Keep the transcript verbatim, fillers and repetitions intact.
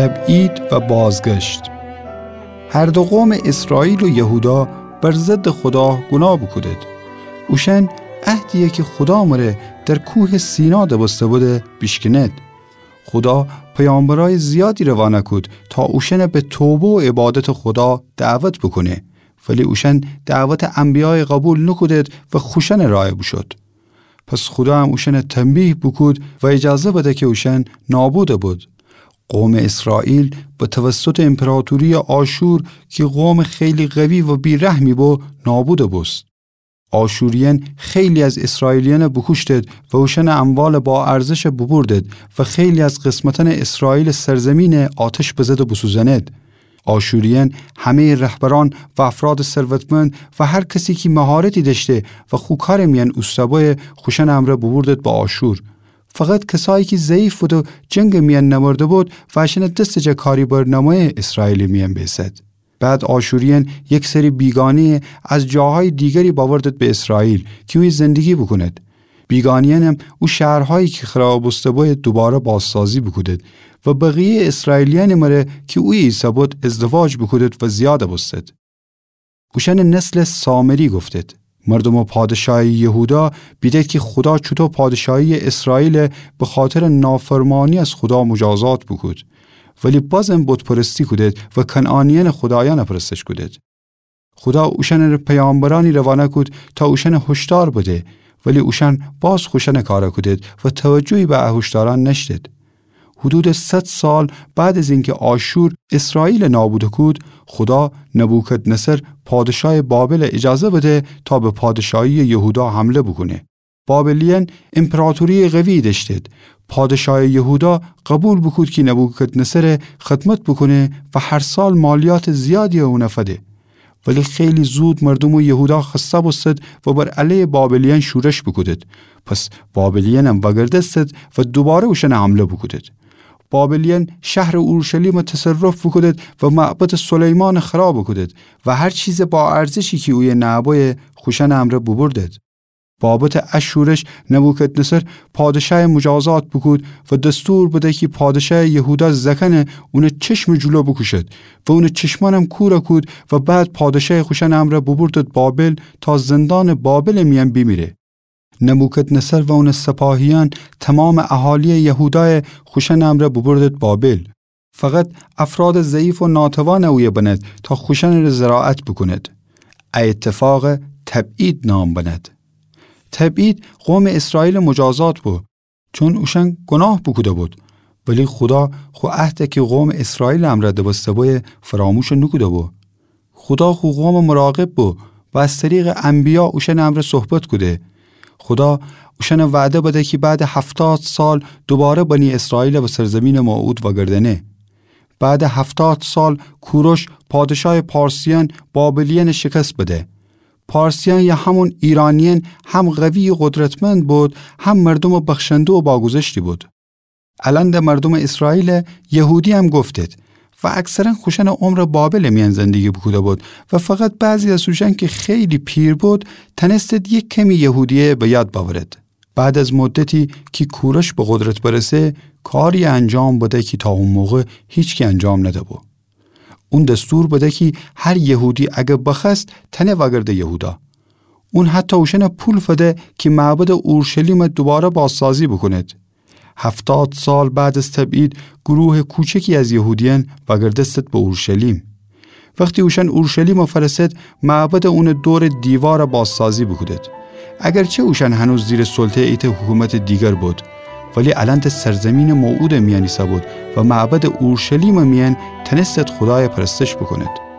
تبعید و بازگشت. هر دو قومٚ اسرائیل و یهودا بر ضدٚ خودا گوناه بوکودید. اوشأن عهدیی کی خودا مره در کوهٚ سینا دبسته بوده بیشکنید. خودا پیامبرأیٚ زیادی روانه کود تا اوشأن به توبه و عبادتٚ خودا دعوت بوکونه، ولی اوشأن دعوتٚ انبیایَ قوبیل نوکودید و خوشأنٚ رأیَ بوشود. پس خودا هم اوشأنَ تنبیه بوکود و ایجازه بده کی اوشأن نابود ببید. قومٚ اسرائیل به توسطٚ ایمپراطورییٚ آشور کی قومٚ خیلی قوی و بی‌رحمی بو، نابود بوبوست. آشوریأن خیلی از اسرائیلیأنَ بوکوشتید و اوشأنٚ اموالٚ باارزشَ بوبوردید و خیلی از قسمتأنٚ اسرائیلٚ سرزمینَ آتش بزده بوسوزأنید. آشوریأن همه‌یٚ رهبرأن و افرادٚ ثروتمند و هر کسی کی مهارتی دأشته و خو کارٚ میأن اوسته بویه، خوشأنٚ امرأ بوبوردید به آشور. فقط کسایی کی ضعیف بود و جنگٚ میأن نمرده بود، وأشأنٚ دستٚ جا کاری بر نمویه، اسرائیلٚ میأن بیسد. بعد آشوریأن یک سری بیگانه‌یَ از جاهایٚ دیگری بأوردید به اسرائیل کی اویه زندگی بوکونید. بیگانه‌یأنم او شهرهایی کی خرابٚ بوسته بویه دوباره بازسازی بوکودید و بقیه‌یٚ اسرائیلیأنٚ مره کی اویه ایسه‌بود ازدواج بوکودید و زیاد بوستید. اوشأنٚ نسلٚ سامری گفتید. مردومٚ پادشاهی یهودا بیدید کی خودا چوطو پادشاهی‌یٚ اسرائیلَ بخاطرٚ نافرمانی از خودا مجازات بوکود، ولی بازم بت‌پرستی کودید و کنعانیأنٚ خودایأنَ پرستش کودید. خودا اوشأنٚ پیامبرأنی روانه کود تا اوشأنَ هشدار بده، ولی اوشأن باز خوشأنٚ کارَ کودید و توجهی به ا هشدارأن نأشتید. حدودٚ صد سال بعد از اینکی آشور اسرائیلَ نابود کود، خودا نبوکدنصر پادشاهٚ بابلَ ایجازه بده تا به پادشاهی‌یٚ یهودا حمله بوکونه. بابلیأن ایمپراطورییٚ قویی دأشتید. پادشاهٚ یهودا قوبیل بوکود کی نبوکدنصرَ خدمت بوکونه و هر سال مالیاتٚ زیادیی اونَ فده. ولی خیلی زود مردومٚ یهودا خسته بوستید و بر علیه بابلیأن شورش بوکودید. پس بابلیأنم وأگردستید و دوباره اوشأنَ حمله بوکودید. بابلیأن شهرٚ اورشلیمَ تصرف بوکودید و معبدٚ سلیمانَ خراب کودید و هر چیزٚ باارزشی کی اویه نأبویه خوشأنٚ امرأ بوبوردید. بابتٚ ا شورش نبوکدنصر پادشاهَ مجازات بوکود و دستور بده کی پادشاهٚ یهودا زأکأنَ اونٚ چشمٚ جلو بوکوشد و اونٚ چشمأنم کورَ کود و بعد پادشاهَ خوشأنٚ امرأ بوبوردید بابل تا زندانٚ بابلٚ میأن بیمیره. نبوکدنصر و اونٚ سپاهیأن تومامٚ اهالییٚ یهودایَ خوشأنٚ امرأ بوبوردید بابل. فقط افرادٚ ضعیف و ناتوانَ اویه بنید تا خوشأنٚره زراعت بوکونید. ا اتفاقَ تبعید نام بنید. تبعید قومٚ اسرائیلٚ مجازات بو، چون اوشأن گوناه بوکوده‌بود. ولی خودا خو عهدَ کی قومٚ اسرائیلٚ امرأ دبسته بویه فراموش نوکوده‌بو. خودا خو قومٚ مراقب بو و از طریقٚ انبیا اوشأنٚ امرأ صحبت کوده. خودا اوشأنَ وعده بده کی بعدٚ هفتاد سال دوباره بنی اسرائیلَ به سرزمینٚ موعود وأگردأنه. بعدٚ هفتاد سال کوروش پادشاهٚ پارسیأن بابلیأنَ شکست بده. پارسیأن یا همون ایرانیأن هم قوی و قدرتمند بود، هم مردومٚ بخشنده و باگذشتی بود. الأن ده مردومٚ اسرائیلٚ یهودی هم گفتید و اکثرا خوشأنٚ عمرَ بابلٚ میأن زندگی بوکوده‌بود و فقط بعضی از اوشأن کی خیلی پیر بود تأنستید یک کمی یهودیی به یاد بأورید. بعد از مدتی کی کوروش به قدرت برسه، کاری انجام بده کی تا او موقع هیچکی انجام نده‌بو. اون دستور بده کی هر یهودی اگر بخوأست تأنه وأگرده یهودا. اون حتی اوشأنَ پول فده کی معبدٚ اورشلیمَ دوباره بازسازی بوکونید. هفتاد سال بعد از تبعید گروه کوچکی از یهودیأن وأگردستید به اورشلیم. وختی اوشأن اورشلیمَ فأرسد، معبدٚ اونٚ دورٚ دیوارَ بازسازی بوکودید. اگرچه اوشأن هنوز زیرٚ سلطه‌یٚ ایتأ حکومتٚ دیگر بود، ولی الأن ده سرزمینٚ موعودٚ میأن ایسه‌بود و معبدٚ اورشلیمٚ میأن تأنستید خودایَ پرستش بوکونید.